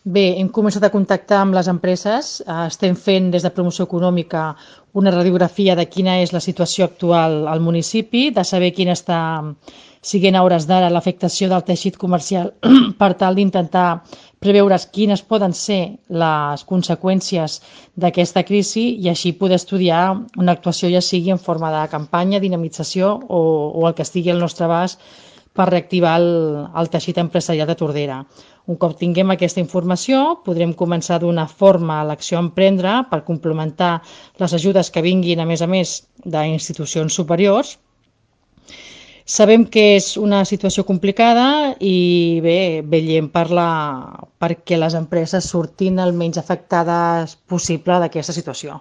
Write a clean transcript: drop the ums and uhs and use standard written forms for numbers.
Bé, hem començat a contactar amb les empreses, estem fent des de Promoció Econòmica una radiografia de quina és la situació actual al municipi, de saber quina està siguent a hores d'ara l'afectació del teixit comercial per tal d'intentar preveure quines poden ser les conseqüències d'aquesta crisi i així poder estudiar una actuació, ja sigui en forma de campanya, dinamització o el que estigui al nostre abast per reactivar el teixit empresarial de Tordera. Un cop tinguem aquesta informació, podrem començar a donar forma a l'acció a emprendre per complementar les ajudes que vinguin, a més, d'institucions superiors. Sabem que és una situació complicada i bé, vetllem perquè les empreses surtin el menys afectades possible d'aquesta situació.